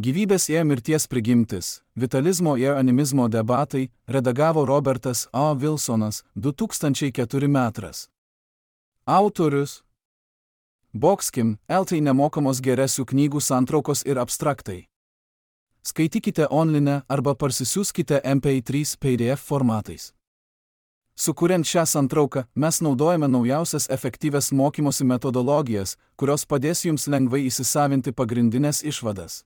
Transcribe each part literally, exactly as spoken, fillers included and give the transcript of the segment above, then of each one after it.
Gyvybės ir mirties prigimtis, vitalizmo ir animizmo debatai, redagavo Robertas A. Wilsonas, du tūkstančiai keturi metras. Autorius Boxkim, L T nemokamos geresių knygų santraukos ir abstraktai. Skaitykite online arba parsisiųskite M P trys P D F formatais. Sukuriant šią santrauką, mes naudojame naujausias efektyvias mokymosi metodologijas, kurios padės jums lengvai įsisavinti pagrindinės išvadas.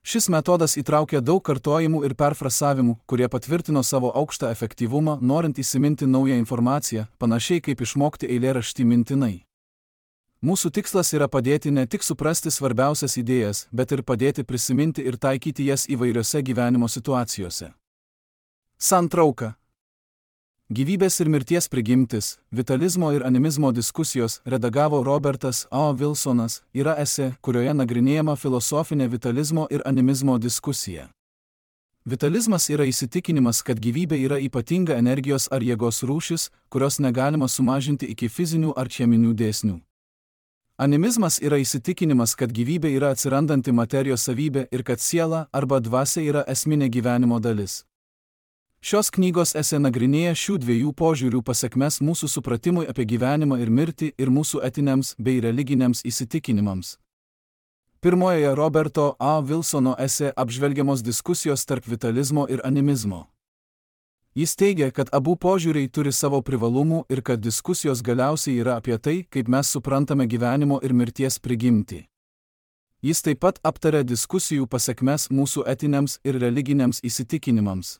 Šis metodas įtraukia daug kartojimų ir perfrasavimų, kurie patvirtino savo aukštą efektyvumą, norint įsiminti naują informaciją, panašiai kaip išmokti eilėraštį mintinai. Mūsų tikslas yra padėti ne tik suprasti svarbiausias idėjas, bet ir padėti prisiminti ir taikyti jas įvairiose gyvenimo situacijose. Santrauka. Gyvybės ir mirties prigimtis, vitalizmo ir animizmo diskusijos, redagavo Robertas A. Wilsonas, yra esė, kurioje nagrinėjama filosofinė vitalizmo ir animizmo diskusija. Vitalizmas yra įsitikinimas, kad gyvybė yra ypatinga energijos ar jėgos rūšis, kurios negalima sumažinti iki fizinių ar cheminių dėsnių. Animizmas yra įsitikinimas, kad gyvybė yra atsirandanti materijos savybė ir kad siela arba dvasia yra esminė gyvenimo dalis. Šios knygos esė nagrinėja šių dviejų požiūrių pasekmes mūsų supratimui apie gyvenimą ir mirtį ir mūsų etiniams bei religiniams įsitikinimams. Pirmojoje Roberto A. Wilsono esė apžvelgiamos diskusijos tarp vitalizmo ir animizmo. Jis teigia, kad abu požiūriai turi savo privalumų ir kad diskusijos galiausiai yra apie tai, kaip mes suprantame gyvenimo ir mirties prigimtį. Jis taip pat aptarė diskusijų pasekmes mūsų etiniams ir religiniams įsitikinimams.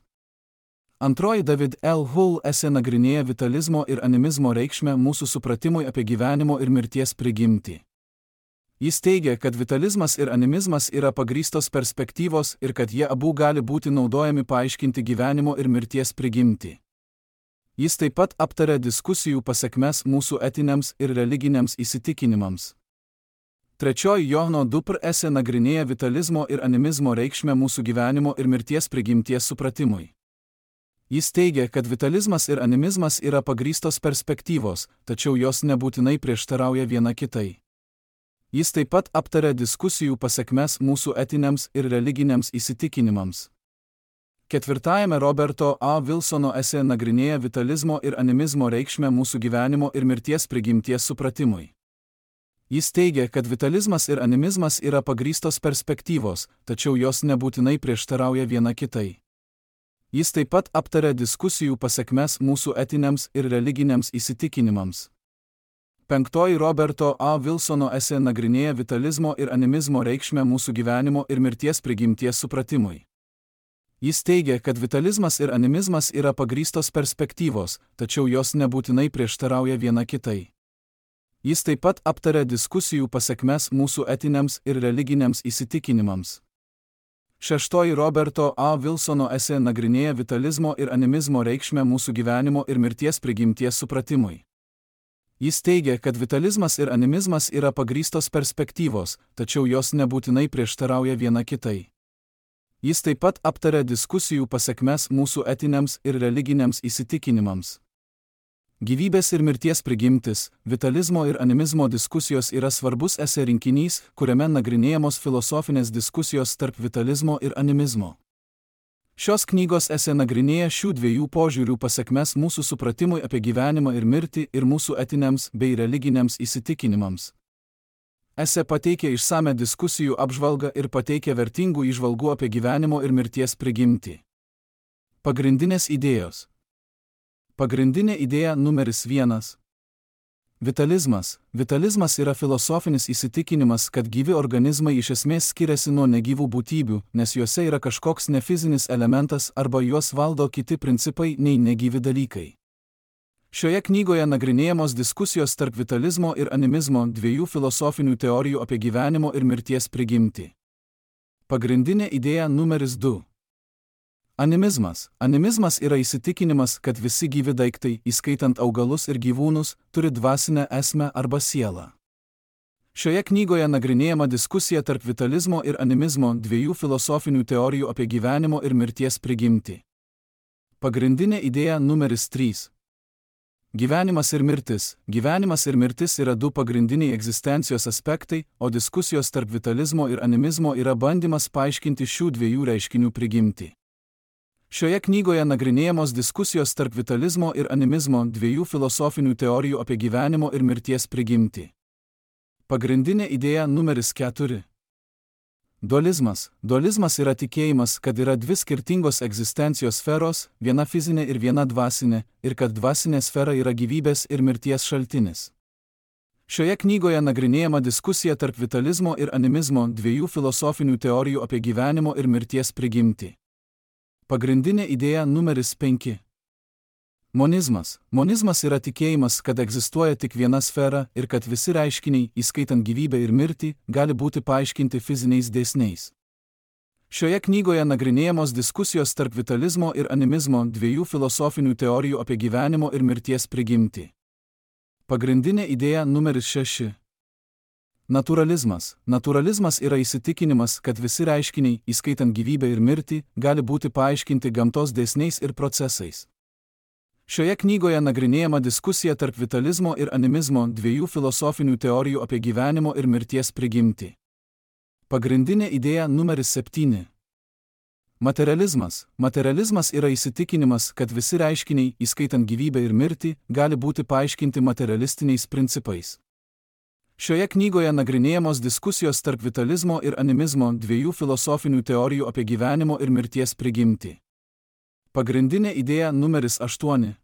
Antroji David L. Hull esė nagrinėja vitalizmo ir animizmo reikšmę mūsų supratimui apie gyvenimo ir mirties prigimtį. Jis teigia, kad vitalizmas ir animizmas yra pagrįstos perspektyvos ir kad jie abu gali būti naudojami paaiškinti gyvenimo ir mirties prigimtį. Jis taip pat aptarė diskusijų pasekmes mūsų etiniams ir religiniams įsitikinimams. Trečioji Johno Dupr esė nagrinėja vitalizmo ir animizmo reikšmę mūsų gyvenimo ir mirties prigimties supratimui. Jis teigia, kad vitalizmas ir animizmas yra pagrįstos perspektyvos, tačiau jos nebūtinai prieštarauja viena kitai. Jis taip pat aptarė diskusijų pasekmes mūsų etiniams ir religiniams įsitikinimams. Ketvirtajame Roberto A. Wilsono esė nagrinėja vitalizmo ir animizmo reikšmę mūsų gyvenimo ir mirties prigimties supratimui. Jis teigia, kad vitalizmas ir animizmas yra pagrįstos perspektyvos, tačiau jos nebūtinai prieštarauja viena kitai. Jis taip pat aptarė diskusijų pasekmes mūsų etiniams ir religiniams įsitikinimams. Penktoji Roberto A. Wilsono esė nagrinėja vitalizmo ir animizmo reikšmę mūsų gyvenimo ir mirties prigimties supratimui. Jis teigia, kad vitalizmas ir animizmas yra pagrįstos perspektyvos, tačiau jos nebūtinai prieštarauja viena kitai. Jis taip pat aptarė diskusijų pasekmes mūsų etiniams ir religiniams įsitikinimams. Šeštoji Roberto A. Wilsono esė nagrinėja vitalizmo ir animizmo reikšmę mūsų gyvenimo ir mirties prigimties supratimui. Jis teigia, kad vitalizmas ir animizmas yra pagrįstos perspektyvos, tačiau jos nebūtinai prieštarauja viena kitai. Jis taip pat aptarė diskusijų pasekmes mūsų etiniams ir religiniams įsitikinimams. Gyvybės ir mirties prigimtis, vitalizmo ir animizmo diskusijos yra svarbus esė rinkinys, kuriame nagrinėjamos filosofinės diskusijos tarp vitalizmo ir animizmo. Šios knygos esė nagrinėja šių dviejų požiūrių pasekmes mūsų supratimui apie gyvenimą ir mirtį ir mūsų etiniams bei religiniams įsitikinimams. Esė pateikė išsame diskusijų apžvalgą ir pateikė vertingų įžvalgų apie gyvenimo ir mirties prigimtį. Pagrindinės idėjos. Pagrindinė idėja numeris vienas. Vitalizmas. Vitalizmas yra filosofinis įsitikinimas, kad gyvi organizmai iš esmės skiriasi nuo negyvų būtybių, nes juose yra kažkoks nefizinis elementas arba juos valdo kiti principai nei negyvi dalykai. Šioje knygoje nagrinėjamos diskusijos tarp vitalizmo ir animizmo, dviejų filosofinių teorijų apie gyvenimo ir mirties prigimtį. Pagrindinė idėja numeris du. Animizmas. Animizmas yra įsitikinimas, kad visi gyvi daiktai, įskaitant augalus ir gyvūnus, turi dvasinę esmę arba sielą. Šioje knygoje nagrinėjama diskusija tarp vitalizmo ir animizmo, dviejų filosofinių teorijų apie gyvenimo ir mirties prigimtį. Pagrindinė idėja numeris trys. Gyvenimas ir mirtis. Gyvenimas ir mirtis yra du pagrindiniai egzistencijos aspektai, o diskusijos tarp vitalizmo ir animizmo yra bandymas paaiškinti šių dviejų reiškinių prigimtį. Šioje knygoje nagrinėjamos diskusijos tarp vitalizmo ir animizmo, dviejų filosofinių teorijų apie gyvenimo ir mirties prigimtį. Pagrindinė idėja numeris keturi. Dualizmas. Dualizmas yra tikėjimas, kad yra dvi skirtingos egzistencijos sferos, viena fizinė ir viena dvasinė, ir kad dvasinė sfera yra gyvybės ir mirties šaltinis. Šioje knygoje nagrinėjama diskusija tarp vitalizmo ir animizmo, dviejų filosofinių teorijų apie gyvenimo ir mirties prigimtį. Pagrindinė idėja numeris penki. Monizmas. Monizmas yra tikėjimas, kad egzistuoja tik viena sfera ir kad visi reiškiniai, įskaitant gyvybę ir mirtį, gali būti paaiškinti fiziniais dėsniais. Šioje knygoje nagrinėjamos diskusijos tarp vitalizmo ir animizmo, dviejų filosofinių teorijų apie gyvenimo ir mirties prigimtį. Pagrindinė idėja numeris šeši. Naturalizmas. Naturalizmas yra įsitikinimas, kad visi reiškiniai, įskaitant gyvybę ir mirtį, gali būti paaiškinti gamtos dėsniais ir procesais. Šioje knygoje nagrinėjama diskusija tarp vitalizmo ir animizmo, dviejų filosofinių teorijų apie gyvenimo ir mirties prigimtį. Pagrindinė idėja numeris septyni. Materializmas. Materializmas yra įsitikinimas, kad visi reiškiniai, įskaitant gyvybę ir mirtį, gali būti paaiškinti materialistiniais principais. Šioje knygoje nagrinėjamos diskusijos tarp vitalizmo ir animizmo, dviejų filosofinių teorijų apie gyvenimo ir mirties prigimtį. Pagrindinė idėja numeris aštuoni.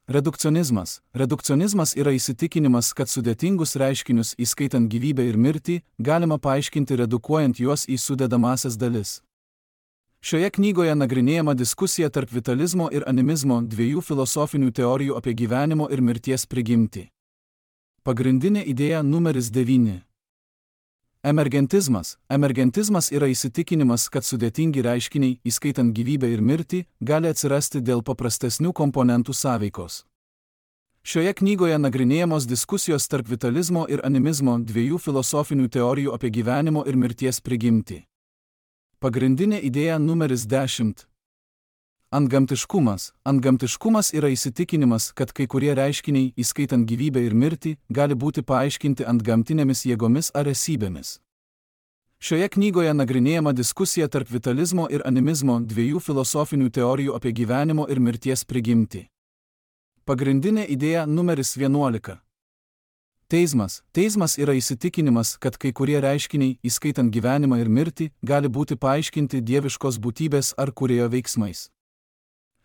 Redukcionizmas. Redukcionizmas yra įsitikinimas, kad sudėtingus reiškinius, įskaitant gyvybę ir mirtį, galima paaiškinti redukuojant juos į sudedamąsias dalis. Šioje knygoje nagrinėjama diskusija tarp vitalizmo ir animizmo, dviejų filosofinių teorijų apie gyvenimo ir mirties prigimtį. Pagrindinė idėja numeris devyni. Emergentizmas. Emergentizmas yra įsitikinimas, kad sudėtingi reiškiniai, įskaitant gyvybę ir mirtį, gali atsirasti dėl paprastesnių komponentų sąveikos. Šioje knygoje nagrinėjamos diskusijos tarp vitalizmo ir animizmo, dviejų filosofinių teorijų apie gyvenimo ir mirties prigimtį. Pagrindinė idėja numeris dešimt. Antgamtiškumas. Antgamtiškumas yra įsitikinimas, kad kai kurie reiškiniai, įskaitant gyvybę ir mirtį, gali būti paaiškinti antgamtinėmis jėgomis ar esybėmis. Šioje knygoje nagrinėjama diskusija tarp vitalizmo ir animizmo, dviejų filosofinių teorijų apie gyvenimo ir mirties prigimtį. Pagrindinė idėja numeris vienuolika. Teizmas. Teizmas yra įsitikinimas, kad kai kurie reiškiniai, įskaitant gyvenimą ir mirtį, gali būti paaiškinti dieviškos būtybės ar kūrėjo veiksmais.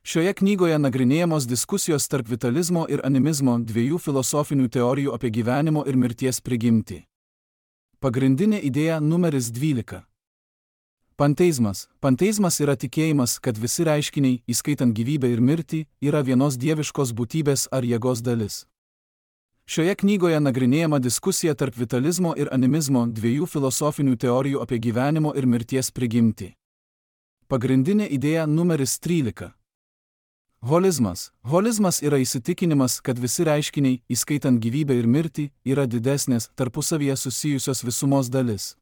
Šioje knygoje nagrinėjamos diskusijos tarp vitalizmo ir animizmo, dviejų filosofinių teorijų apie gyvenimo ir mirties prigimtį. Pagrindinė idėja numeris dvylika. Panteizmas. Panteizmas yra tikėjimas, kad visi reiškiniai, įskaitant gyvybę ir mirtį, yra vienos dieviškos būtybės ar jėgos dalis. Šioje knygoje nagrinėjama diskusija tarp vitalizmo ir animizmo, dviejų filosofinių teorijų apie gyvenimo ir mirties prigimtį. Pagrindinė idėja numeris trylika. Holizmas. Holizmas yra įsitikinimas, kad visi reiškiniai, įskaitant gyvybę ir mirtį, yra didesnės, tarpusavyje susijusios visumos dalis.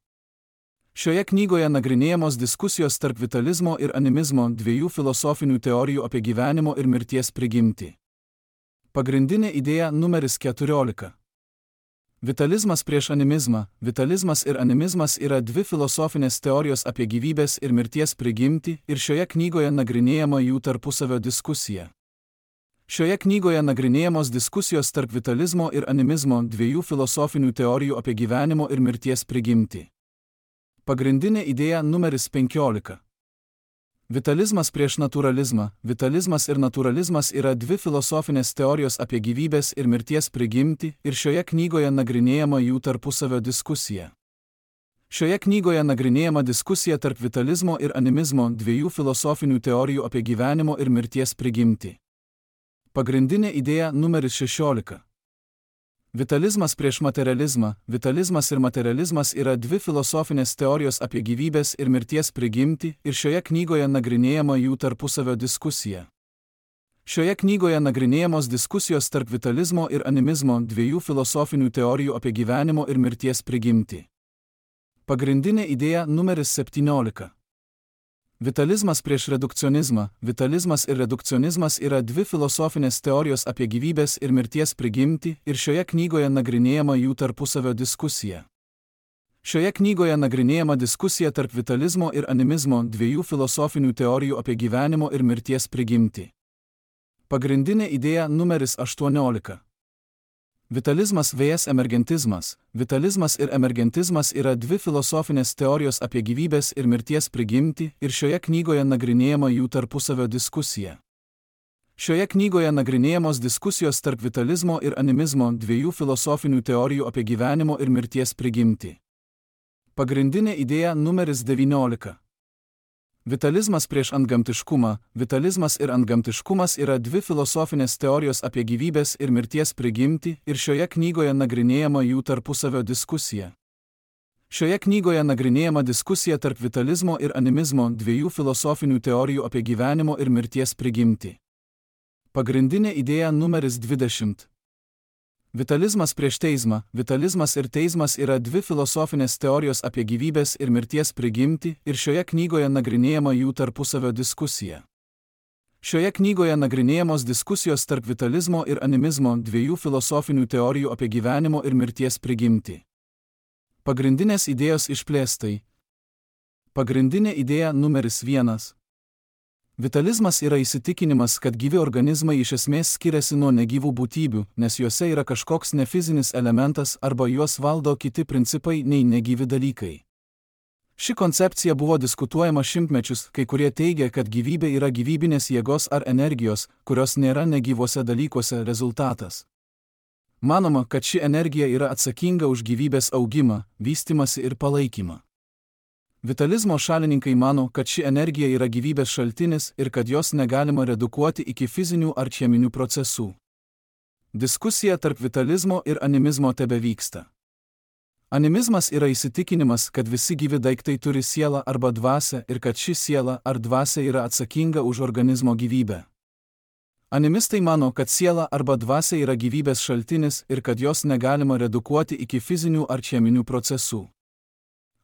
Šioje knygoje nagrinėjamos diskusijos tarp vitalizmo ir animizmo, dviejų filosofinių teorijų apie gyvenimo ir mirties prigimtį. Pagrindinė idėja numeris keturiolika. Vitalizmas prieš animizmą. Vitalizmas ir animizmas yra dvi filosofinės teorijos apie gyvybės ir mirties prigimtį ir šioje knygoje nagrinėjama jų tarpusavio diskusija. Šioje knygoje nagrinėjamos diskusijos tarp vitalizmo ir animizmo, dviejų filosofinių teorijų apie gyvenimo ir mirties prigimtį. Pagrindinė idėja numeris penkiolika. Vitalizmas prieš naturalizmą. Vitalizmas ir naturalizmas yra dvi filosofinės teorijos apie gyvybės ir mirties prigimtį ir šioje knygoje nagrinėjama jų tarpusavio diskusija. Šioje knygoje nagrinėjama diskusija tarp vitalizmo ir animizmo, dviejų filosofinių teorijų apie gyvenimo ir mirties prigimtį. Pagrindinė idėja numeris šešiolika. Vitalizmas prieš materializmą. Vitalizmas ir materializmas yra dvi filosofinės teorijos apie gyvybės ir mirties prigimtį ir šioje knygoje nagrinėjama jų tarpusavio diskusija. Šioje knygoje nagrinėjamos diskusijos tarp vitalizmo ir animizmo, dviejų filosofinių teorijų apie gyvenimo ir mirties prigimtį. Pagrindinė idėja numeris septyniolika. Vitalizmas prieš redukcionizmą. Vitalizmas ir redukcionizmas yra dvi filosofinės teorijos apie gyvybės ir mirties prigimtį ir šioje knygoje nagrinėjama jų tarpusavio diskusija. Šioje knygoje nagrinėjama diskusija tarp vitalizmo ir animizmo, dviejų filosofinių teorijų apie gyvenimo ir mirties prigimtį. Pagrindinė idėja numeris aštuoniolika. Vitalizmas vs emergentizmas. Vitalizmas ir emergentizmas yra dvi filosofinės teorijos apie gyvybės ir mirties prigimtį ir šioje knygoje nagrinėjama jų tarpusavio diskusija. Šioje knygoje nagrinėjamos diskusijos tarp vitalizmo ir animizmo, dviejų filosofinių teorijų apie gyvenimo ir mirties prigimtį. Pagrindinė idėja numeris devyniolika. Vitalizmas prieš antgamtiškumą. Vitalizmas ir antgamtiškumas yra dvi filosofinės teorijos apie gyvybės ir mirties prigimtį ir šioje knygoje nagrinėjama jų tarpusavio diskusija. Šioje knygoje nagrinėjama diskusija tarp vitalizmo ir animizmo, dviejų filosofinių teorijų apie gyvenimo ir mirties prigimtį. Pagrindinė idėja numeris dvidešimt. Vitalizmas prieš teizmą. Vitalizmas ir teizmas yra dvi filosofinės teorijos apie gyvybės ir mirties prigimtį ir šioje knygoje nagrinėjama jų tarpusavio diskusija. Šioje knygoje nagrinėjamos diskusijos tarp vitalizmo ir animizmo, dviejų filosofinių teorijų apie gyvenimo ir mirties prigimtį. Pagrindinės idėjos išplėstai. Pagrindinė idėja numeris vienas. Vitalizmas yra įsitikinimas, kad gyvi organizmai iš esmės skiriasi nuo negyvų būtybių, nes juose yra kažkoks nefizinis elementas arba juos valdo kiti principai nei negyvi dalykai. Ši koncepcija buvo diskutuojama šimtmečius, kai kurie teigia, kad gyvybė yra gyvybinės jėgos ar energijos, kurios nėra negyvuose dalykuose rezultatas. Manoma, kad ši energija yra atsakinga už gyvybės augimą, vystymąsi ir palaikymą. Vitalizmo šalininkai mano, kad ši energija yra gyvybės šaltinis ir kad jos negalima redukuoti iki fizinių ar cheminių procesų. Diskusija tarp vitalizmo ir animizmo tebevyksta. Animizmas yra įsitikinimas, kad visi gyvi daiktai turi sielą arba dvasią ir kad ši siela ar dvasia yra atsakinga už organizmo gyvybę. Animistai mano, kad siela arba dvasia yra gyvybės šaltinis ir kad jos negalima redukuoti iki fizinių ar cheminių procesų.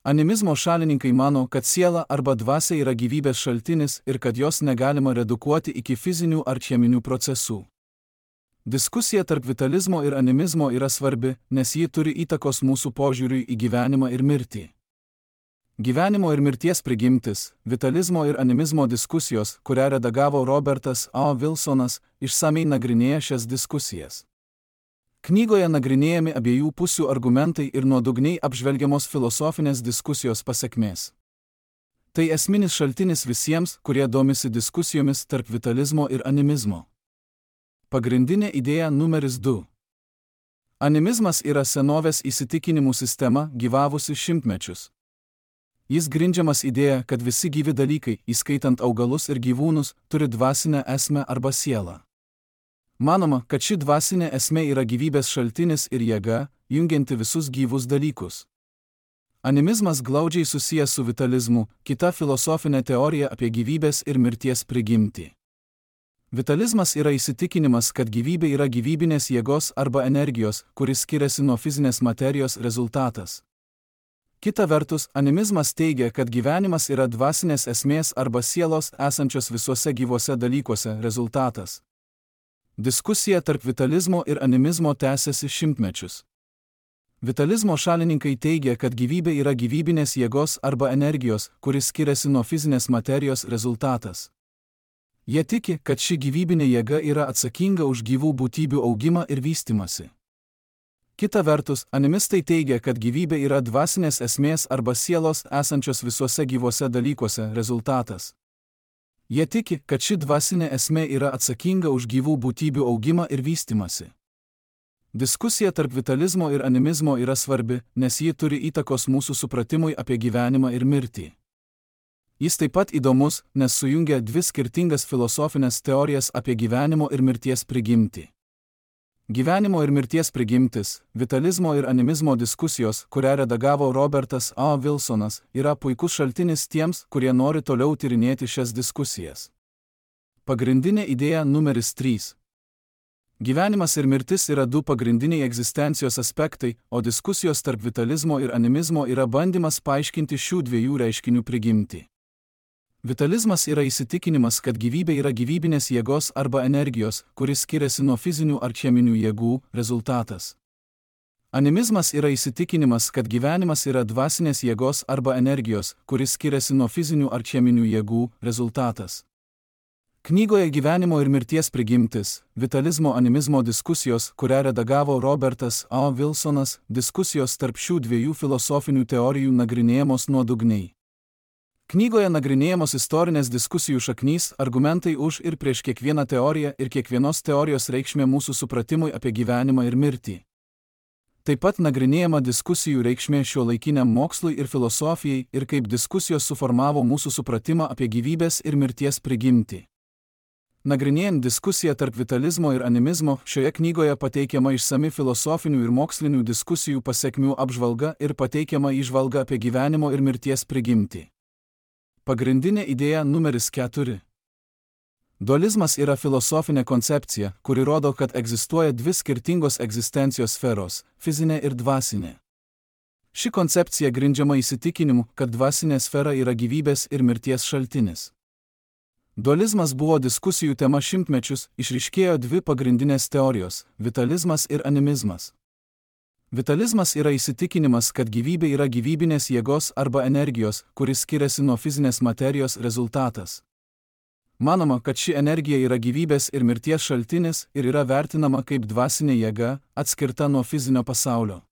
Animizmo šalininkai mano, kad siela arba dvasia yra gyvybės šaltinis ir kad jos negalima redukuoti iki fizinių ar cheminių procesų. Diskusija tarp vitalizmo ir animizmo yra svarbi, nes ji turi įtakos mūsų požiūriui į gyvenimą ir mirtį. Gyvenimo ir mirties prigimtis, vitalizmo ir animizmo diskusijos, kurią redagavo Robertas A. Wilsonas, išsamei nagrinėja šias diskusijas. Knygoje nagrinėjami abiejų pusių argumentai ir nuodugniai apžvelgiamos filosofinės diskusijos pasekmės. Tai esminis šaltinis visiems, kurie domisi diskusijomis tarp vitalizmo ir animizmo. Pagrindinė idėja numeris du. Animizmas yra senovės įsitikinimų sistema, gyvavusi šimtmečius. Jis grindžiamas idėja, kad visi gyvi dalykai, įskaitant augalus ir gyvūnus, turi dvasinę esmę arba sielą. Manoma, kad ši dvasinė esmė yra gyvybės šaltinis ir jėga, jungianti visus gyvus dalykus. Animizmas glaudžiai susijęs su vitalizmu, kita filosofinė teorija apie gyvybės ir mirties prigimtį. Vitalizmas yra įsitikinimas, kad gyvybė yra gyvybinės jėgos arba energijos, kuris skiriasi nuo fizinės materijos rezultatas. Kita vertus, animizmas teigia, kad gyvenimas yra dvasinės esmės arba sielos esančios visuose gyvuose dalykuose rezultatas. Diskusija tarp vitalizmo ir animizmo tęsiasi šimtmečius. Vitalizmo šalininkai teigia, kad gyvybė yra gyvybinės jėgos arba energijos, kuris skiriasi nuo fizinės materijos rezultatas. Jie tiki, kad ši gyvybinė jėga yra atsakinga už gyvų būtybių augimą ir vystymąsi. Kita vertus, animistai teigia, kad gyvybė yra dvasinės esmės arba sielos esančios visuose gyvuose dalykuose rezultatas. Jie tiki, kad ši dvasinė esmė yra atsakinga už gyvų būtybių augimą ir vystymąsi. Diskusija tarp vitalizmo ir animizmo yra svarbi, nes ji turi įtakos mūsų supratimui apie gyvenimą ir mirtį. Jis taip pat įdomus, nes sujungia dvi skirtingas filosofinės teorijas apie gyvenimo ir mirties prigimtį. Gyvenimo ir mirties prigimtis, vitalizmo ir animizmo diskusijos, kurią redagavo Robertas A. Wilsonas, yra puikus šaltinis tiems, kurie nori toliau tyrinėti šias diskusijas. Pagrindinė idėja numeris trys. Gyvenimas ir mirtis yra du pagrindiniai egzistencijos aspektai, o diskusijos tarp vitalizmo ir animizmo yra bandymas paaiškinti šių dviejų reiškinių prigimtį. Vitalizmas yra įsitikinimas, kad gyvybė yra gyvybinės jėgos arba energijos, kuris skiriasi nuo fizinių ar cheminių jėgų, rezultatas. Animizmas yra įsitikinimas, kad gyvenimas yra dvasinės jėgos arba energijos, kuris skiriasi nuo fizinių ar cheminių jėgų, rezultatas. Knygoje Gyvenimo ir mirties prigimtis, vitalizmo animizmo diskusijos, kurią redagavo Robertas A. Wilsonas, diskusijos tarp šių dviejų filosofinių teorijų nagrinėjamos nuodugniai. Knygoje nagrinėjamos istorinės diskusijų šaknys, argumentai už ir prieš kiekvieną teoriją ir kiekvienos teorijos reikšmė mūsų supratimui apie gyvenimą ir mirtį. Taip pat nagrinėjama diskusijų reikšmė šiuolaikiniam mokslui ir filosofijai ir kaip diskusijos suformavo mūsų supratimą apie gyvybės ir mirties prigimtį. Nagrinėjant diskusiją tarp vitalizmo ir animizmo, šioje knygoje pateikiama išsami filosofinių ir mokslinių diskusijų pasekmių apžvalga ir pateikiama įžvalga apie gyvenimo ir mirties prigimtį. Pagrindinė idėja numeris keturi. Dualizmas yra filosofinė koncepcija, kuri rodo, kad egzistuoja dvi skirtingos egzistencijos sferos – fizinė ir dvasinė. Ši koncepcija grindžiama įsitikinimu, kad dvasinė sfera yra gyvybės ir mirties šaltinis. Dualizmas buvo diskusijų tema šimtmečius, išryškėjo dvi pagrindinės teorijos – vitalizmas ir animizmas. Vitalizmas yra įsitikinimas, kad gyvybė yra gyvybinės jėgos arba energijos, kuris skiriasi nuo fizinės materijos rezultatas. Manoma, kad ši energija yra gyvybės ir mirties šaltinis ir yra vertinama kaip dvasinė jėga, atskirta nuo fizinio pasaulio.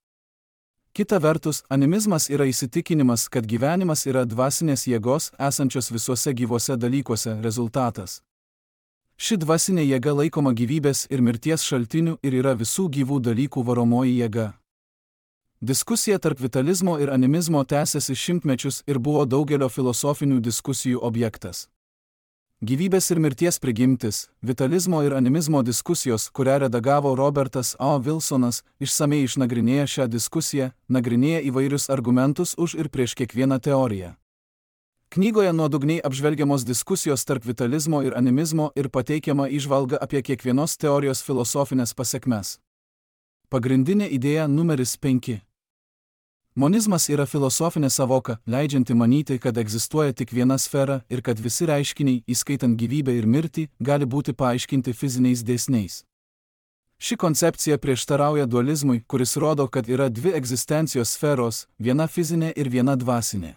Kita vertus, animizmas yra įsitikinimas, kad gyvenimas yra dvasinės jėgos, esančios visuose gyvuose dalykuose rezultatas. Ši dvasinė jėga laikoma gyvybės ir mirties šaltiniu ir yra visų gyvų dalykų varomoji jėga. Diskusija tarp vitalizmo ir animizmo tęsiasi šimtmečius ir buvo daugelio filosofinių diskusijų objektas. Gyvybės ir mirties prigimtis, vitalizmo ir animizmo diskusijos, kurią redagavo Robertas A. Wilsonas, išsamei išnagrinėja šią diskusiją, nagrinėja įvairius argumentus už ir prieš kiekvieną teoriją. Knygoje nuodugniai apžvelgiamos diskusijos tarp vitalizmo ir animizmo ir pateikiama įžvalga apie kiekvienos teorijos filosofinės pasekmes. Pagrindinė idėja numeris penki. Monizmas yra filosofinė savoka, leidžianti manyti, kad egzistuoja tik viena sfera ir kad visi reiškiniai, įskaitant gyvybę ir mirtį, gali būti paaiškinti fiziniais dėsniais. Ši koncepcija prieštarauja dualizmui, kuris rodo, kad yra dvi egzistencijos sferos, viena fizinė ir viena dvasinė.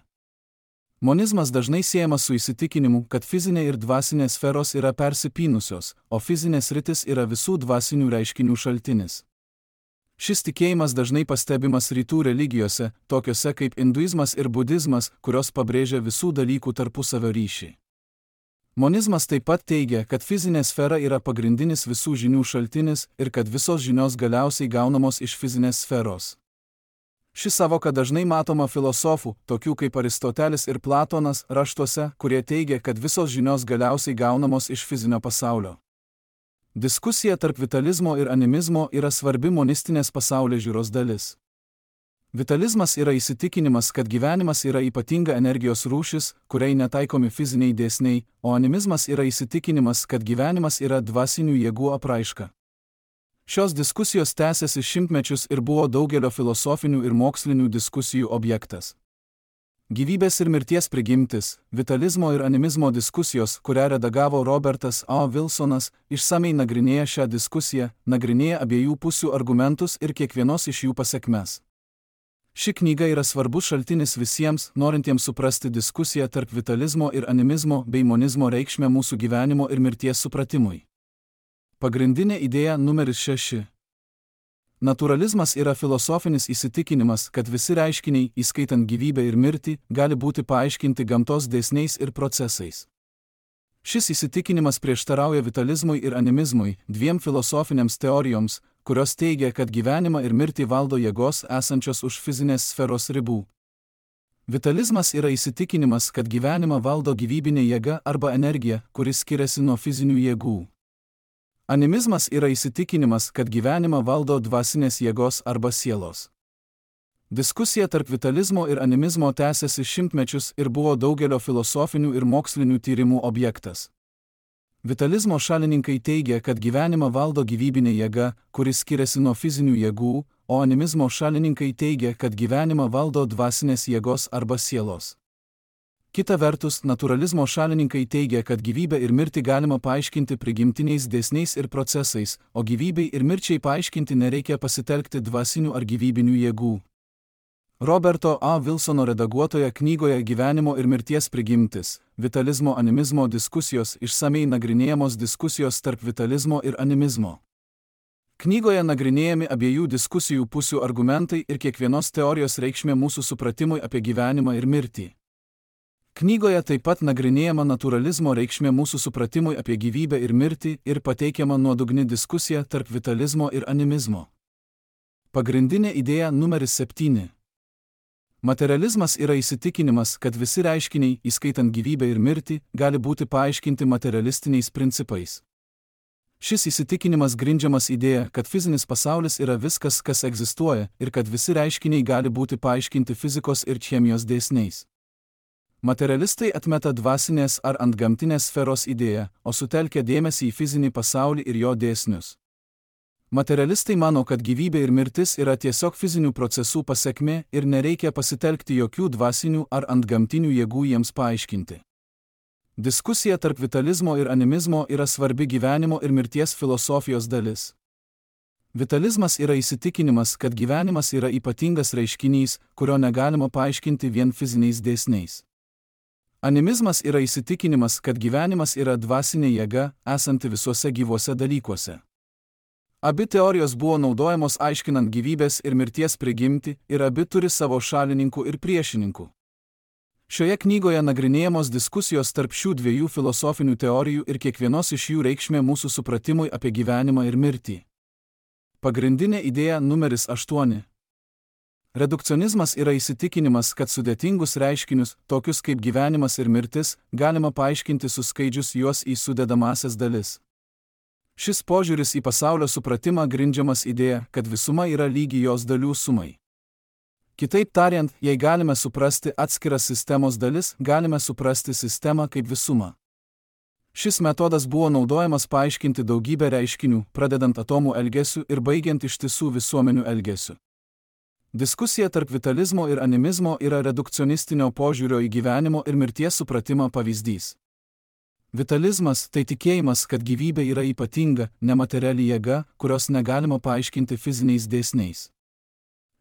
Monizmas dažnai siejamas su įsitikinimu, kad fizinė ir dvasinė sferos yra persipynusios, o fizinė sritis yra visų dvasinių reiškinių šaltinis. Šis tikėjimas dažnai pastebimas rytų religijose, tokiose kaip hinduizmas ir budizmas, kurios pabrėžia visų dalykų tarpusavio ryšį. Monizmas taip pat teigia, kad fizinė sfera yra pagrindinis visų žinių šaltinis ir kad visos žinios galiausiai gaunamos iš fizinės sferos. Ši savoka dažnai matoma filosofų, tokių kaip Aristotelis ir Platonas, raštuose, kurie teigia, kad visos žinios galiausiai gaunamos iš fizinio pasaulio. Diskusija tarp vitalizmo ir animizmo yra svarbi monistinės pasaulėžiūros dalis. Vitalizmas yra įsitikinimas, kad gyvenimas yra ypatinga energijos rūšis, kuriai netaikomi fiziniai dėsniai, o animizmas yra įsitikinimas, kad gyvenimas yra dvasinių jėgų apraiška. Šios diskusijos tęsiasi šimtmečius ir buvo daugelio filosofinių ir mokslinių diskusijų objektas. Gyvybės ir mirties prigimtis, vitalizmo ir animizmo diskusijos, kurią redagavo Robertas A. Wilsonas, išsamei nagrinėja šią diskusiją, nagrinėja abiejų pusių argumentus ir kiekvienos iš jų pasekmes. Ši knyga yra svarbus šaltinis visiems, norintiems suprasti diskusiją tarp vitalizmo ir animizmo bei monizmo reikšmę mūsų gyvenimo ir mirties supratimui. Pagrindinė idėja numeris šeši. Naturalizmas yra filosofinis įsitikinimas, kad visi reiškiniai, įskaitant gyvybę ir mirtį, gali būti paaiškinti gamtos dėsniais ir procesais. Šis įsitikinimas prieštarauja vitalizmui ir animizmui, dviem filosofinėms teorijoms, kurios teigia, kad gyvenimą ir mirtį valdo jėgos esančios už fizinės sferos ribų. Vitalizmas yra įsitikinimas, kad gyvenimą valdo gyvybinė jėga arba energija, kuris skiriasi nuo fizinių jėgų. Animizmas yra įsitikinimas, kad gyvenimą valdo dvasinės jėgos arba sielos. Diskusija tarp vitalizmo ir animizmo tęsiasi šimtmečius ir buvo daugelio filosofinių ir mokslinių tyrimų objektas. Vitalizmo šalininkai teigia, kad gyvenimą valdo gyvybinė jėga, kuris skiriasi nuo fizinių jėgų, o animizmo šalininkai teigia, kad gyvenimą valdo dvasinės jėgos arba sielos. Kita vertus, naturalizmo šalininkai teigia, kad gyvybę ir mirtį galima paaiškinti prigimtiniais dėsniais ir procesais, o gyvybei ir mirčiai paaiškinti nereikia pasitelkti dvasinių ar gyvybinių jėgų. Roberto A. Wilsono redaguotoje knygoje Gyvenimo ir mirties prigimtis, vitalizmo animizmo diskusijos išsamei nagrinėjamos diskusijos tarp vitalizmo ir animizmo. Knygoje nagrinėjami abiejų diskusijų pusių argumentai ir kiekvienos teorijos reikšmė mūsų supratimui apie gyvenimą ir mirtį. Knygoje taip pat nagrinėjama naturalizmo reikšmė mūsų supratimui apie gyvybę ir mirtį ir pateikiama nuodugni diskusija tarp vitalizmo ir animizmo. Pagrindinė idėja numeris septyni. Materializmas yra įsitikinimas, kad visi reiškiniai, įskaitant gyvybę ir mirtį, gali būti paaiškinti materialistiniais principais. Šis įsitikinimas grindžiamas idėja, kad fizinis pasaulis yra viskas, kas egzistuoja, ir kad visi reiškiniai gali būti paaiškinti fizikos ir chemijos dėsniais. Materialistai atmeta dvasinės ar antgamtinės sferos idėją, o sutelkia dėmesį į fizinį pasaulį ir jo dėsnius. Materialistai mano, kad gyvybė ir mirtis yra tiesiog fizinių procesų pasekmė ir nereikia pasitelkti jokių dvasinių ar antgamtinių jėgų jiems paaiškinti. Diskusija tarp vitalizmo ir animizmo yra svarbi gyvenimo ir mirties filosofijos dalis. Vitalizmas yra įsitikinimas, kad gyvenimas yra ypatingas reiškinys, kurio negalima paaiškinti vien fiziniais dėsniais. Animizmas yra įsitikinimas, kad gyvenimas yra dvasinė jėga, esanti visuose gyvuose dalykuose. Abi teorijos buvo naudojamos aiškinant gyvybės ir mirties prigimtį ir abi turi savo šalininkų ir priešininkų. Šioje knygoje nagrinėjamos diskusijos tarp šių dviejų filosofinių teorijų ir kiekvienos iš jų reikšmė mūsų supratimui apie gyvenimą ir mirtį. Pagrindinė idėja numeris aštuoni. Redukcionizmas yra įsitikinimas, kad sudėtingus reiškinius, tokius kaip gyvenimas ir mirtis, galima paaiškinti suskaidžius juos į sudedamąsias dalis. Šis požiūris į pasaulio supratimą grindžiamas idėja, kad visuma yra lygi jos dalių sumai. Kitaip tariant, jei galime suprasti atskiras sistemos dalis, galime suprasti sistemą kaip visumą. Šis metodas buvo naudojamas paaiškinti daugybę reiškinių, pradedant atomų elgesiu ir baigiant ištisų visuomenių elgesiu. Diskusija tarp vitalizmo ir animizmo yra redukcionistinio požiūrio į gyvenimo ir mirties supratimą pavyzdys. Vitalizmas – tai tikėjimas, kad gyvybė yra ypatinga, nemateriali jėga, kurios negalima paaiškinti fiziniais dėsniais.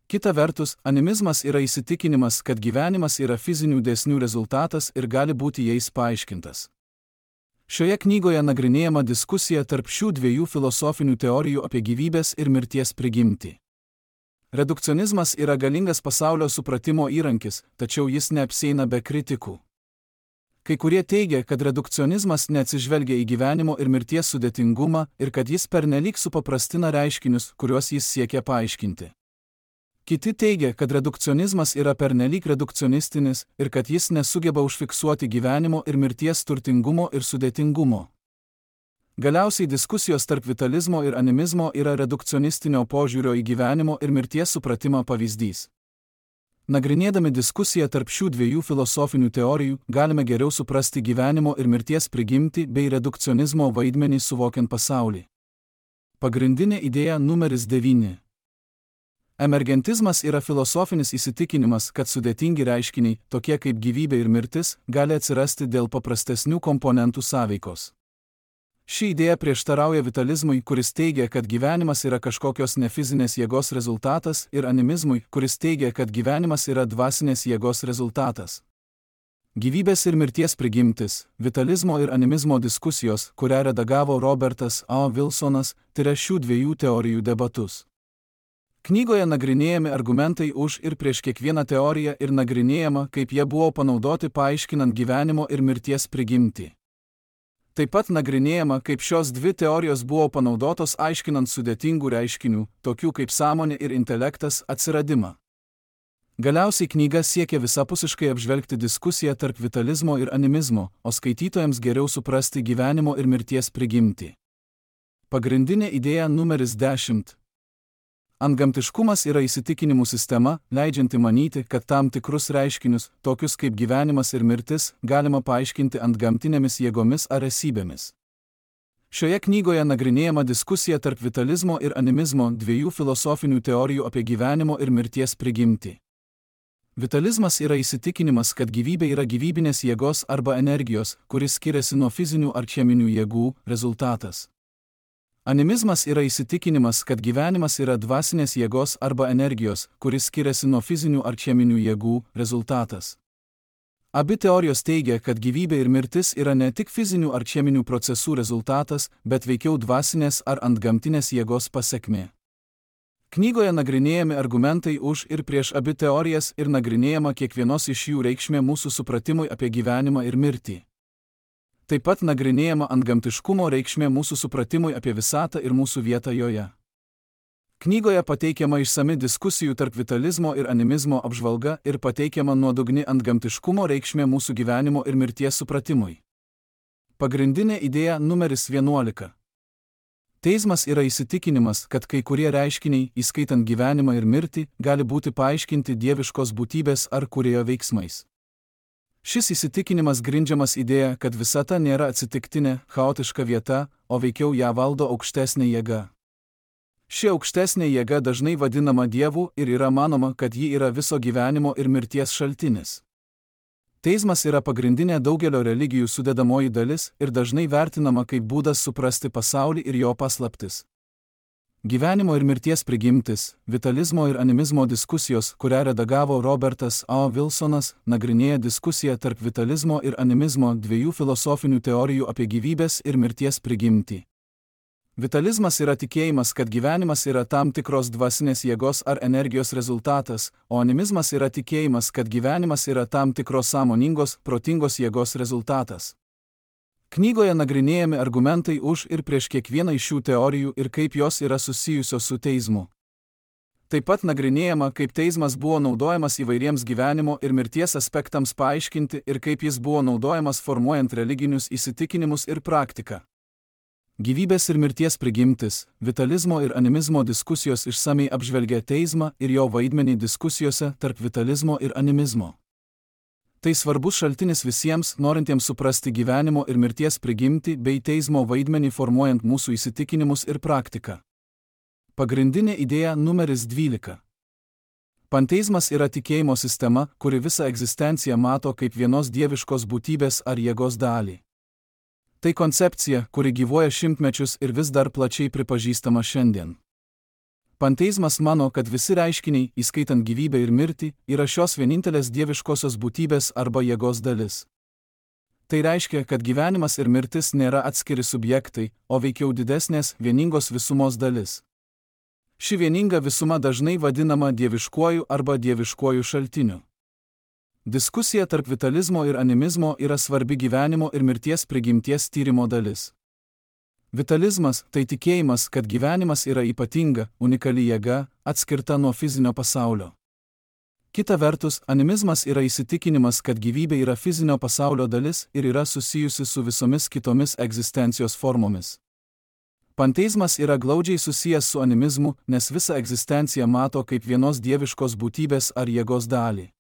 Kita vertus, animizmas yra įsitikinimas, kad gyvenimas yra fizinių dėsnių rezultatas ir gali būti jais paaiškintas. Šioje knygoje nagrinėjama diskusija tarp šių dviejų filosofinių teorijų apie gyvybės ir mirties prigimtį. Redukcionizmas yra galingas pasaulio supratimo įrankis, tačiau jis neapsieina be kritikų. Kai kurie teigia, kad redukcionizmas neatsižvelgia į gyvenimo ir mirties sudėtingumą ir kad jis pernelyg supaprastina reiškinius, kuriuos jis siekia paaiškinti. Kiti teigia, kad redukcionizmas yra pernelyg redukcionistinis ir kad jis nesugeba užfiksuoti gyvenimo ir mirties turtingumo ir sudėtingumo. Galiausiai diskusijos tarp vitalizmo ir animizmo yra redukcionistinio požiūrio į gyvenimo ir mirties supratimą pavyzdys. Nagrinėdami diskusiją tarp šių dviejų filosofinių teorijų, galime geriau suprasti gyvenimo ir mirties prigimtį bei redukcionizmo vaidmenį suvokiant pasaulį. Pagrindinė idėja numeris devyni. Emergentizmas yra filosofinis įsitikinimas, kad sudėtingi reiškiniai, tokie kaip gyvybė ir mirtis, gali atsirasti dėl paprastesnių komponentų sąveikos. Ši idėja prieštarauja vitalizmui, kuris teigia, kad gyvenimas yra kažkokios nefizinės jėgos rezultatas, ir animizmui, kuris teigia, kad gyvenimas yra dvasinės jėgos rezultatas. Gyvybės ir mirties prigimtis, vitalizmo ir animizmo diskusijos, kurią redagavo Robertas A. Wilsonas, tyria šių dviejų teorijų debatus. Knygoje nagrinėjami argumentai už ir prieš kiekvieną teoriją ir nagrinėjama, kaip jie buvo panaudoti paaiškinant gyvenimo ir mirties prigimtį. Taip pat nagrinėjama, kaip šios dvi teorijos buvo panaudotos aiškinant sudėtingų reiškinių, tokių kaip sąmonė ir intelektas, atsiradimą. Galiausiai knyga siekia visapusiškai apžvelgti diskusiją tarp vitalizmo ir animizmo, o skaitytojams geriau suprasti gyvenimo ir mirties prigimtį. Pagrindinė idėja numeris dešimt. Antgamtiškumas yra įsitikinimų sistema, leidžianti manyti, kad tam tikrus reiškinius, tokius kaip gyvenimas ir mirtis, galima paaiškinti antgamtinėmis jėgomis ar esybėmis. Šioje knygoje nagrinėjama diskusija tarp vitalizmo ir animizmo, dviejų filosofinių teorijų apie gyvenimo ir mirties prigimtį. Vitalizmas yra įsitikinimas, kad gyvybė yra gyvybinės jėgos arba energijos, kuris skiriasi nuo fizinių ar cheminių jėgų, rezultatas. Animizmas yra įsitikinimas, kad gyvenimas yra dvasinės jėgos arba energijos, kuris skiriasi nuo fizinių ar cheminių jėgų, rezultatas. Abi teorijos teigia, kad gyvybė ir mirtis yra ne tik fizinių ar cheminių procesų rezultatas, bet veikiau dvasinės ar antgamtinės jėgos pasekmė. Knygoje nagrinėjami argumentai už ir prieš abi teorijas ir nagrinėjama kiekvienos iš jų reikšmė mūsų supratimui apie gyvenimą ir mirtį. Taip pat nagrinėjama antgamtiškumo reikšmė mūsų supratimui apie visatą ir mūsų vietą joje. Knygoje pateikiama išsami diskusijų tarp vitalizmo ir animizmo apžvalga ir pateikiama nuodugni antgamtiškumo reikšmė mūsų gyvenimo ir mirties supratimui. Pagrindinė idėja numeris vienuolika. Teizmas yra įsitikinimas, kad kai kurie reiškiniai, įskaitant gyvenimą ir mirtį, gali būti paaiškinti dieviškos būtybės ar kūrėjo veiksmais. Šis įsitikinimas grindžiamas idėja, kad visata nėra atsitiktinė, chaotiška vieta, o veikiau ją valdo aukštesnė jėga. Ši aukštesnė jėga dažnai vadinama Dievu ir yra manoma, kad ji yra viso gyvenimo ir mirties šaltinis. Teizmas yra pagrindinė daugelio religijų sudedamoji dalis ir dažnai vertinama kaip būdas suprasti pasaulį ir jo paslaptis. Gyvenimo ir mirties prigimtis, vitalizmo ir animizmo diskusijos, kurią redagavo Robertas A. Wilsonas, nagrinėja diskusiją tarp vitalizmo ir animizmo dviejų filosofinių teorijų apie gyvybės ir mirties prigimtį. Vitalizmas yra tikėjimas, kad gyvenimas yra tam tikros dvasinės jėgos ar energijos rezultatas, o animizmas yra tikėjimas, kad gyvenimas yra tam tikros sąmoningos, protingos jėgos rezultatas. Knygoje nagrinėjami argumentai už ir prieš kiekvieną iš šių teorijų ir kaip jos yra susijusios su teizmu. Taip pat nagrinėjama, kaip teizmas buvo naudojamas įvairiems gyvenimo ir mirties aspektams paaiškinti ir kaip jis buvo naudojamas formuojant religinius įsitikinimus ir praktiką. Gyvybės ir mirties prigimtis, vitalizmo ir animizmo diskusijos išsamei apžvelgia teizmą ir jo vaidmenį diskusijose tarp vitalizmo ir animizmo. Tai svarbus šaltinis visiems, norintiems suprasti gyvenimo ir mirties prigimtį bei teizmo vaidmenį formuojant mūsų įsitikinimus ir praktiką. Pagrindinė idėja numeris dvylika. Panteizmas yra tikėjimo sistema, kuri visą egzistenciją mato kaip vienos dieviškos būtybės ar jėgos dalį. Tai koncepcija, kuri gyvuoja šimtmečius ir vis dar plačiai pripažįstama šiandien. Panteizmas mano, kad visi reiškiniai, įskaitant gyvybę ir mirtį, yra šios vienintelės dieviškosios būtybės arba jėgos dalis. Tai reiškia, kad gyvenimas ir mirtis nėra atskiri subjektai, o veikiau didesnės, vieningos visumos dalis. Ši vieninga visuma dažnai vadinama dieviškuoju arba dieviškuoju šaltiniu. Diskusija tarp vitalizmo ir animizmo yra svarbi gyvenimo ir mirties prigimties tyrimo dalis. Vitalizmas – tai tikėjimas, kad gyvenimas yra ypatinga, unikali jėga, atskirta nuo fizinio pasaulio. Kita vertus, animizmas yra įsitikinimas, kad gyvybė yra fizinio pasaulio dalis ir yra susijusi su visomis kitomis egzistencijos formomis. Panteizmas yra glaudžiai susijęs su animizmu, nes visą egzistenciją mato kaip vienos dieviškos būtybės ar jėgos dalį.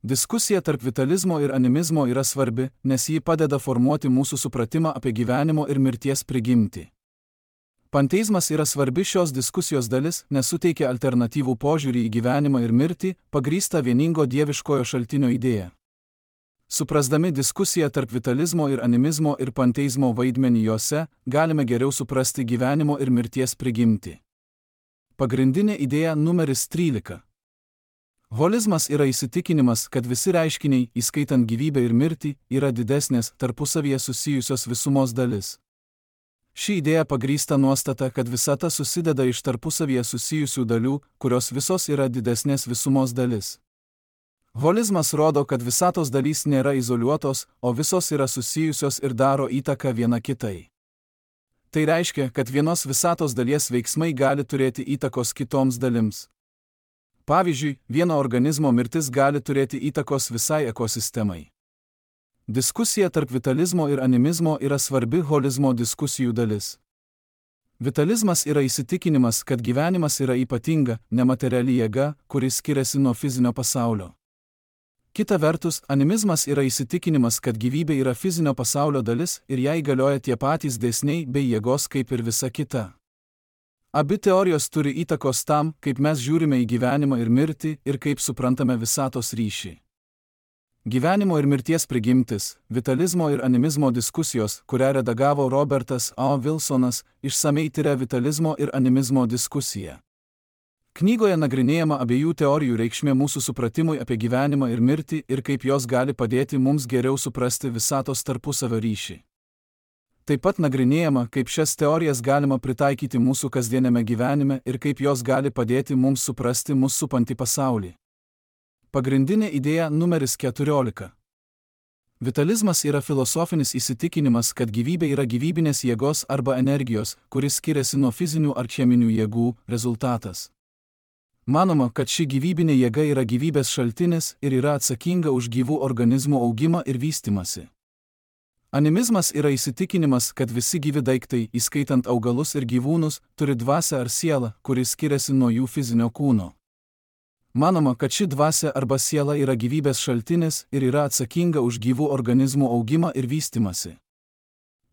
Diskusija tarp vitalizmo ir animizmo yra svarbi, nes ji padeda formuoti mūsų supratimą apie gyvenimo ir mirties prigimtį. Panteizmas yra svarbi šios diskusijos dalis, nes suteikia alternatyvų požiūrį į gyvenimą ir mirtį, pagrįstą vieningo dieviškojo šaltinio idėja. Suprasdami diskusiją tarp vitalizmo ir animizmo ir panteizmo vaidmenį jose, galime geriau suprasti gyvenimo ir mirties prigimtį. Pagrindinė idėja numeris trylika. Holizmas yra įsitikinimas, kad visi reiškiniai, įskaitant gyvybę ir mirtį, yra didesnės, tarpusavyje susijusios visumos dalis. Ši idėja pagrįsta nuostata, kad visata susideda iš tarpusavyje susijusių dalių, kurios visos yra didesnės visumos dalis. Holizmas rodo, kad visatos dalys nėra izoliuotos, o visos yra susijusios ir daro įtaką viena kitai. Tai reiškia, kad vienos visatos dalies veiksmai gali turėti įtakos kitoms dalims. Pavyzdžiui, vieno organizmo mirtis gali turėti įtakos visai ekosistemai. Diskusija tarp vitalizmo ir animizmo yra svarbi holizmo diskusijų dalis. Vitalizmas yra įsitikinimas, kad gyvenimas yra ypatinga, nemateriali jėga, kuri skiriasi nuo fizinio pasaulio. Kita vertus, animizmas yra įsitikinimas, kad gyvybė yra fizinio pasaulio dalis ir jai galioja tie patys dėsniai bei jėgos kaip ir visa kita. Abi teorijos turi įtakos tam, kaip mes žiūrime į gyvenimą ir mirtį ir kaip suprantame visatos ryšį. Gyvenimo ir mirties prigimtis, vitalizmo ir animizmo diskusijos, kurią redagavo Robertas O. Wilsonas, išsamei tyria vitalizmo ir animizmo diskusiją. Knygoje nagrinėjama abiejų teorijų reikšmė mūsų supratimui apie gyvenimą ir mirtį ir kaip jos gali padėti mums geriau suprasti visatos tarpusavio ryšį. Taip pat nagrinėjama, kaip šias teorijas galima pritaikyti mūsų kasdieniame gyvenime ir kaip jos gali padėti mums suprasti mus supantį pasaulį. Pagrindinė idėja numeris keturiolika. Vitalizmas yra filosofinis įsitikinimas, kad gyvybė yra gyvybinės jėgos arba energijos, kuris skiriasi nuo fizinių ar cheminių jėgų, rezultatas. Manoma, kad ši gyvybinė jėga yra gyvybės šaltinis ir yra atsakinga už gyvų organizmų augimą ir vystymąsi. Animizmas yra įsitikinimas, kad visi gyvi daiktai, įskaitant augalus ir gyvūnus, turi dvasią ar sielą, kuris skiriasi nuo jų fizinio kūno. Manoma, kad ši dvasia arba siela yra gyvybės šaltinis ir yra atsakinga už gyvų organizmų augimą ir vystymąsi.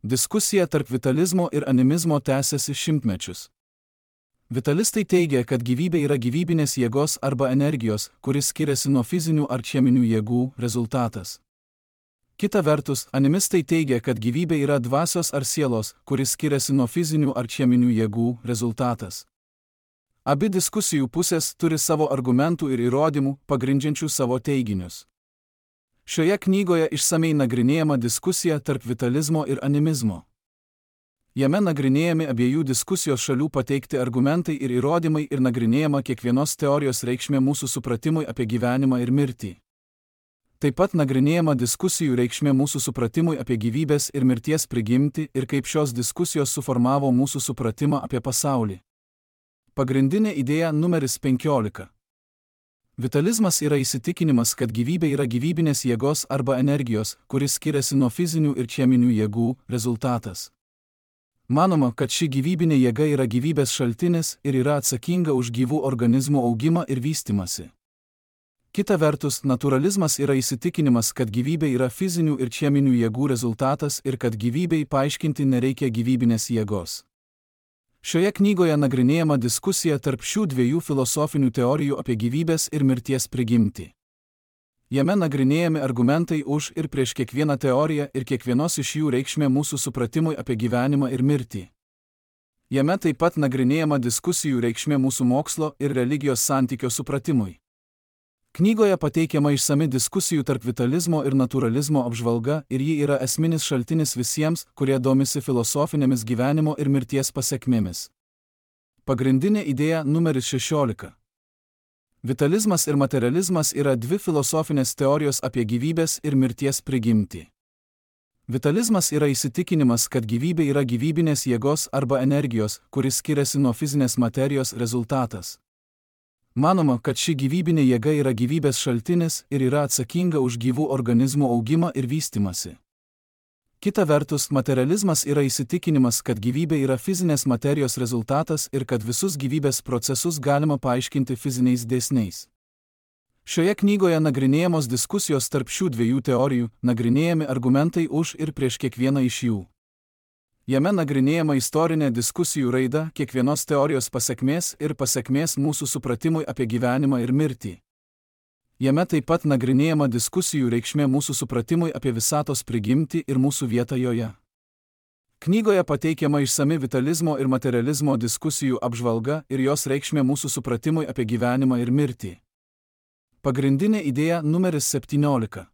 Diskusija tarp vitalizmo ir animizmo tęsiasi šimtmečius. Vitalistai teigia, kad gyvybė yra gyvybinės jėgos arba energijos, kuris skiriasi nuo fizinių ar cheminių jėgų, rezultatas. Kita vertus, animistai teigia, kad gyvybė yra dvasios ar sielos, kuris skiriasi nuo fizinių ar cheminių jėgų, rezultatas. Abi diskusijų pusės turi savo argumentų ir įrodymų, pagrindžiančių savo teiginius. Šioje knygoje išsamei nagrinėjama diskusija tarp vitalizmo ir animizmo. Jame nagrinėjami abiejų diskusijos šalių pateikti argumentai ir įrodymai ir nagrinėjama kiekvienos teorijos reikšmė mūsų supratimui apie gyvenimą ir mirtį. Taip pat nagrinėjama diskusijų reikšmė mūsų supratimui apie gyvybės ir mirties prigimtį ir kaip šios diskusijos suformavo mūsų supratimą apie pasaulį. Pagrindinė idėja numeris penkiolika. Vitalizmas yra įsitikinimas, kad gyvybė yra gyvybinės jėgos arba energijos, kuris skiriasi nuo fizinių ir cheminių jėgų, rezultatas. Manoma, kad ši gyvybinė jėga yra gyvybės šaltinis ir yra atsakinga už gyvų organizmų augimą ir vystymąsi. Kita vertus, naturalizmas yra įsitikinimas, kad gyvybė yra fizinių ir cheminių jėgų rezultatas ir kad gyvybei paaiškinti nereikia gyvybinės jėgos. Šioje knygoje nagrinėjama diskusija tarp šių dviejų filosofinių teorijų apie gyvybės ir mirties prigimtį. Jame nagrinėjami argumentai už ir prieš kiekvieną teoriją ir kiekvienos iš jų reikšmė mūsų supratimui apie gyvenimą ir mirtį. Jame taip pat nagrinėjama diskusijų reikšmė mūsų mokslo ir religijos santykio supratimui. Knygoje pateikiama išsami diskusijų tarp vitalizmo ir naturalizmo apžvalga ir ji yra esminis šaltinis visiems, kurie domisi filosofinėmis gyvenimo ir mirties pasekmėmis. Pagrindinė idėja numeris šešiolika. Vitalizmas ir materializmas yra dvi filosofinės teorijos apie gyvybės ir mirties prigimtį. Vitalizmas yra įsitikinimas, kad gyvybė yra gyvybinės jėgos arba energijos, kuris skiriasi nuo fizinės materijos, rezultatas. Manoma, kad ši gyvybinė jėga yra gyvybės šaltinis ir yra atsakinga už gyvų organizmų augimą ir vystymąsi. Kita vertus, materializmas yra įsitikinimas, kad gyvybė yra fizinės materijos rezultatas ir kad visus gyvybės procesus galima paaiškinti fiziniais dėsniais. Šioje knygoje nagrinėjamos diskusijos tarp šių dviejų teorijų, nagrinėjami argumentai už ir prieš kiekvieną iš jų. Jame nagrinėjama istorinė diskusijų raida, kiekvienos teorijos pasekmės ir pasekmės mūsų supratimui apie gyvenimą ir mirtį. Jame taip pat nagrinėjama diskusijų reikšmė mūsų supratimui apie visatos prigimtį ir mūsų vietą joje. Knygoje pateikiama išsami vitalizmo ir materializmo diskusijų apžvalga ir jos reikšmė mūsų supratimui apie gyvenimą ir mirtį. Pagrindinė idėja numeris septyniolika.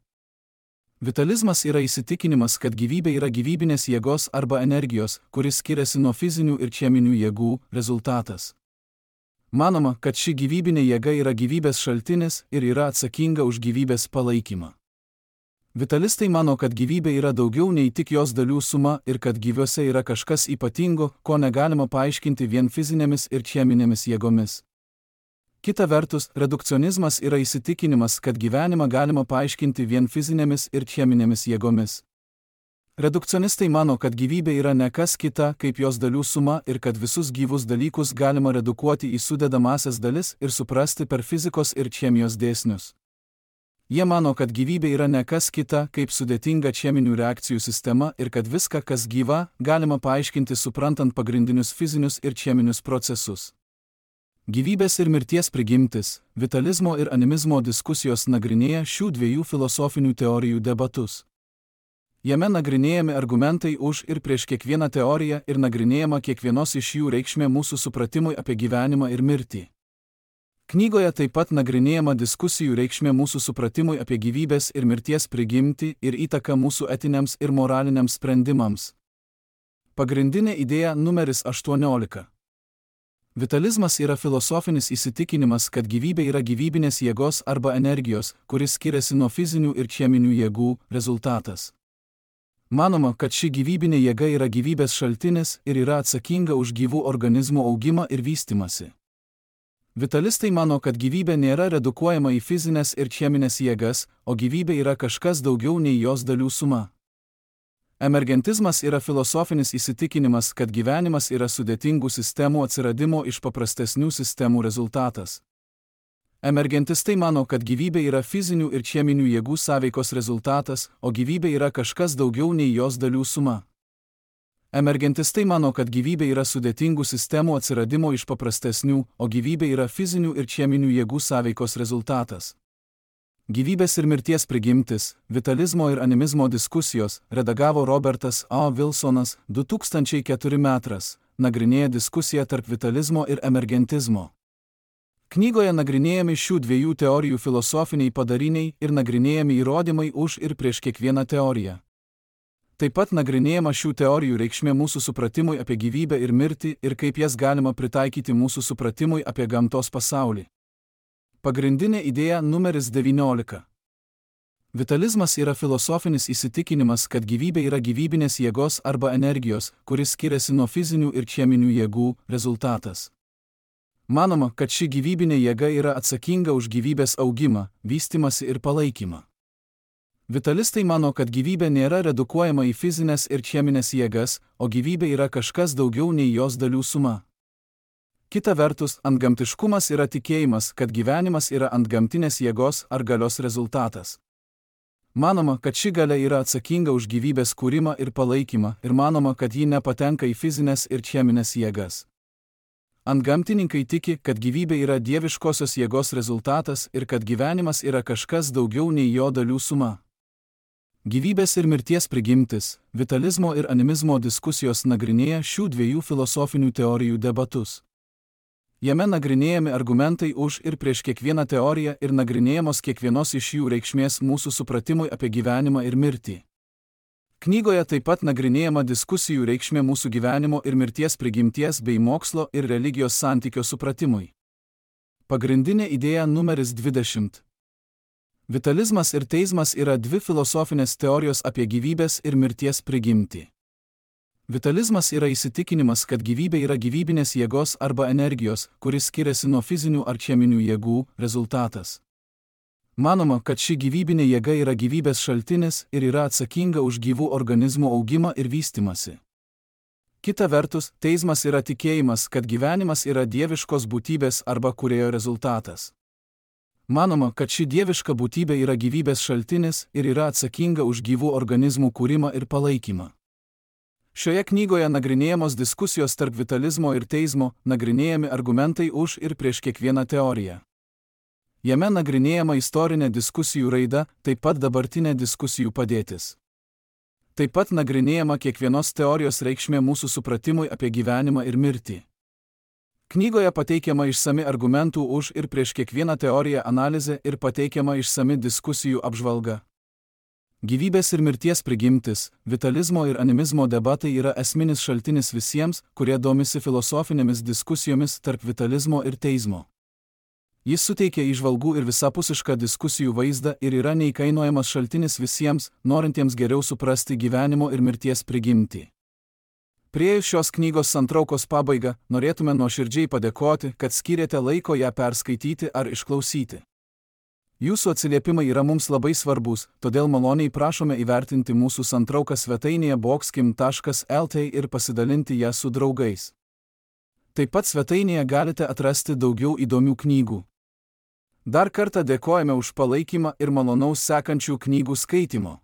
Vitalizmas yra įsitikinimas, kad gyvybė yra gyvybinės jėgos arba energijos, kuris skiriasi nuo fizinių ir cheminių jėgų, rezultatas. Manoma, kad ši gyvybinė jėga yra gyvybės šaltinis ir yra atsakinga už gyvybės palaikymą. Vitalistai mano, kad gyvybė yra daugiau nei tik jos dalių suma ir kad gyviuose yra kažkas ypatingo, ko negalima paaiškinti vien fizinėmis ir cheminėmis jėgomis. Kita vertus, redukcionizmas yra įsitikinimas, kad gyvenimą galima paaiškinti vien fizinėmis ir cheminėmis jėgomis. Redukcionistai mano, kad gyvybė yra ne kas kita, kaip jos dalių suma ir kad visus gyvus dalykus galima redukuoti į sudedamąsias dalis ir suprasti per fizikos ir chemijos dėsnius. Jie mano, kad gyvybė yra ne kas kita, kaip sudėtinga cheminių reakcijų sistema ir kad viską, kas gyva, galima paaiškinti suprantant pagrindinius fizinius ir cheminius procesus. Gyvybės ir mirties prigimtis, vitalizmo ir animizmo diskusijos nagrinėja šių dviejų filosofinių teorijų debatus. Jame nagrinėjami argumentai už ir prieš kiekvieną teoriją ir nagrinėjama kiekvienos iš jų reikšmė mūsų supratimui apie gyvenimą ir mirtį. Knygoje taip pat nagrinėjama diskusijų reikšmė mūsų supratimui apie gyvybės ir mirties prigimtį ir įtaką mūsų etiniams ir moraliniams sprendimams. Pagrindinė idėja numeris aštuoniolika. Vitalizmas yra filosofinis įsitikinimas, kad gyvybė yra gyvybinės jėgos arba energijos, kuris skiriasi nuo fizinių ir cheminių jėgų, rezultatas. Manoma, kad ši gyvybinė jėga yra gyvybės šaltinis ir yra atsakinga už gyvų organizmų augimą ir vystymąsi. Vitalistai mano, kad gyvybė nėra redukuojama į fizinės ir cheminės jėgas, o gyvybė yra kažkas daugiau nei jos dalių suma. Emergentizmas yra filosofinis įsitikinimas, kad gyvenimas yra sudėtingų sistemų atsiradimo iš paprastesnių sistemų rezultatas. Emergentistai mano, kad gyvybė yra fizinių ir cheminių jėgų sąveikos rezultatas, o gyvybė yra kažkas daugiau nei jos dalių suma. Emergentistai mano, kad gyvybė yra sudėtingų sistemų atsiradimo iš paprastesnių, o gyvybė yra fizinių ir cheminių jėgų sąveikos rezultatas. Gyvybės ir mirties prigimtis, vitalizmo ir animizmo diskusijos redagavo Robertas A. Wilsonas du tūkstančiai ketvirti metras, nagrinėja diskusiją tarp vitalizmo ir emergentizmo. Knygoje nagrinėjami šių dviejų teorijų filosofiniai padariniai ir nagrinėjami įrodymai už ir prieš kiekvieną teoriją. Taip pat nagrinėjama šių teorijų reikšmė mūsų supratimui apie gyvybę ir mirtį ir kaip jas galima pritaikyti mūsų supratimui apie gamtos pasaulį. Pagrindinė idėja numeris devyniolika. Vitalizmas yra filosofinis įsitikinimas, kad gyvybė yra gyvybinės jėgos arba energijos, kuris skiriasi nuo fizinių ir cheminių jėgų, rezultatas. Manoma, kad ši gyvybinė jėga yra atsakinga už gyvybės augimą, vystymąsi ir palaikymą. Vitalistai mano, kad gyvybė nėra redukuojama į fizinės ir cheminės jėgas, o gyvybė yra kažkas daugiau nei jos dalių suma. Kita vertus, antgamtiškumas yra tikėjimas, kad gyvenimas yra antgamtinės jėgos ar galios rezultatas. Manoma, kad ši galia yra atsakinga už gyvybės kūrimą ir palaikymą ir manoma, kad ji nepatenka į fizinės ir cheminės jėgas. Antgamtininkai tiki, kad gyvybė yra dieviškosios jėgos rezultatas ir kad gyvenimas yra kažkas daugiau nei jo dalių suma. Gyvybės ir mirties prigimtis, vitalizmo ir animizmo diskusijos nagrinėja šių dviejų filosofinių teorijų debatus. Jame nagrinėjami argumentai už ir prieš kiekvieną teoriją ir nagrinėjamos kiekvienos iš jų reikšmės mūsų supratimui apie gyvenimą ir mirtį. Knygoje taip pat nagrinėjama diskusijų reikšmė mūsų gyvenimo ir mirties prigimties bei mokslo ir religijos santykio supratimui. Pagrindinė idėja numeris dvidešimt. Vitalizmas ir teizmas yra dvi filosofinės teorijos apie gyvybės ir mirties prigimtį. Vitalizmas yra įsitikinimas, kad gyvybė yra gyvybinės jėgos arba energijos, kuris skiriasi nuo fizinių ar cheminių jėgų, rezultatas. Manoma, kad ši gyvybinė jėga yra gyvybės šaltinis ir yra atsakinga už gyvų organizmų augimą ir vystymąsi. Kita vertus, teizmas yra tikėjimas, kad gyvenimas yra dieviškos būtybės arba kūrėjo rezultatas. Manoma, kad ši dieviška būtybė yra gyvybės šaltinis ir yra atsakinga už gyvų organizmų kūrimą ir palaikymą. Šioje knygoje nagrinėjamos diskusijos tarp vitalizmo ir teizmo, nagrinėjami argumentai už ir prieš kiekvieną teoriją. Jame nagrinėjama istorinė diskusijų raida, taip pat dabartinė diskusijų padėtis. Taip pat nagrinėjama kiekvienos teorijos reikšmė mūsų supratimui apie gyvenimą ir mirtį. Knygoje pateikiama išsami argumentų už ir prieš kiekvieną teoriją analizė ir pateikiama išsami diskusijų apžvalga. Gyvybės ir mirties prigimtis, vitalizmo ir animizmo debatai yra esminis šaltinis visiems, kurie domisi filosofinėmis diskusijomis tarp vitalizmo ir teizmo. Jis suteikia įžvalgų ir visapusišką diskusijų vaizdą ir yra neįkainojamas šaltinis visiems, norintiems geriau suprasti gyvenimo ir mirties prigimtį. Priėjus šios knygos santraukos pabaigą, norėtume nuoširdžiai padėkoti, kad skyrėte laiko ją perskaityti ar išklausyti. Jūsų atsiliepimai yra mums labai svarbus, todėl maloniai prašome įvertinti mūsų santrauką svetainėje boxkim taškas el t ir pasidalinti ją su draugais. Taip pat svetainėje galite atrasti daugiau įdomių knygų. Dar kartą dėkojame už palaikymą ir malonaus sekančių knygų skaitimo.